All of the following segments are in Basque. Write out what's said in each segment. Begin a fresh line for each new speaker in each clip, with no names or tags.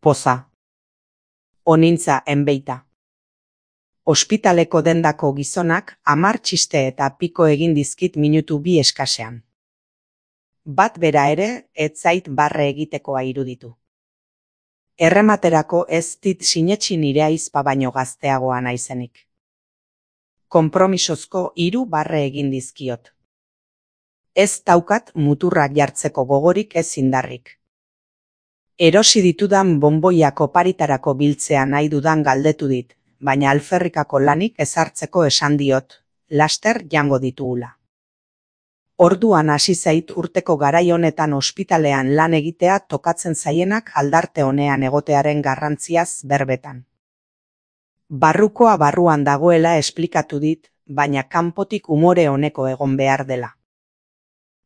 Poza. Onintza enbeita. Ospitaleko dendako gizonak 10 txiste eta piko egin dizkit minutu 2 eskasean. Bat bera ere, ez zait barre egitekoa iruditu. Errematerako ez dit sinetsi nire aizpa baino gazteagoa naizenik. Konpromisozko 3 barre egin dizkiot. Ez daukat muturrak jartzeko gogorik ez indarrik. Erosi ditudan bonboiak oparitarako biltzea nahi dudan galdetu dit, baina alferrikako lanik ezartzeko esan diot, laster jango ditugula. Orduan hasi zait urteko garai honetan ospitalean lan egitea tokatzen zaienak aldarte honean egotearen garrantziaz berbetan. Barrukoa barruan dagoela esplikatu dit, baina kanpotik umore honeko egon behar dela.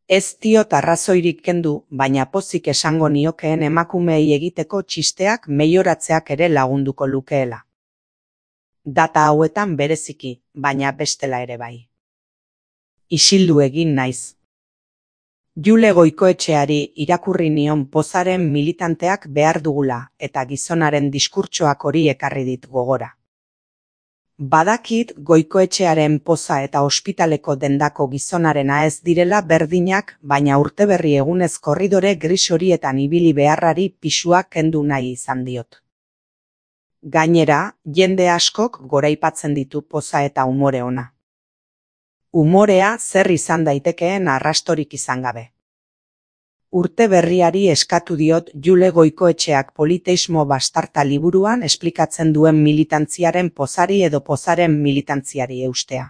Ez diot arrazoirik kendu, baina pozik esango niokeen emakumeei egiteko txisteak meioratzeak ere lagunduko lukeela. Data hauetan bereziki, baina bestela ere bai. Isildu egin naiz. Jule Goikoetxeari irakurri nion Pozaren militanteak behar dugula eta gizonaren diskurtsoak hori ekarri dit gogora. Badakit Goikoetxearen Poza eta ospitaleko dendako gizonarena ez direla berdinak, baina urteberri egunez korridore gris horietan ibili beharrari pisua kendu nahi izan diot. Gainera, jende askok goraipatzen ditu Poza eta umore ona. Umorea zer izan daitekeen arrastorik izan gabe. Urte berriari eskatu diot Jule Goikoetxeak Politeismo bastarta liburuan esplikatzen duen militantziaren pozari edo pozaren militantziari eustea.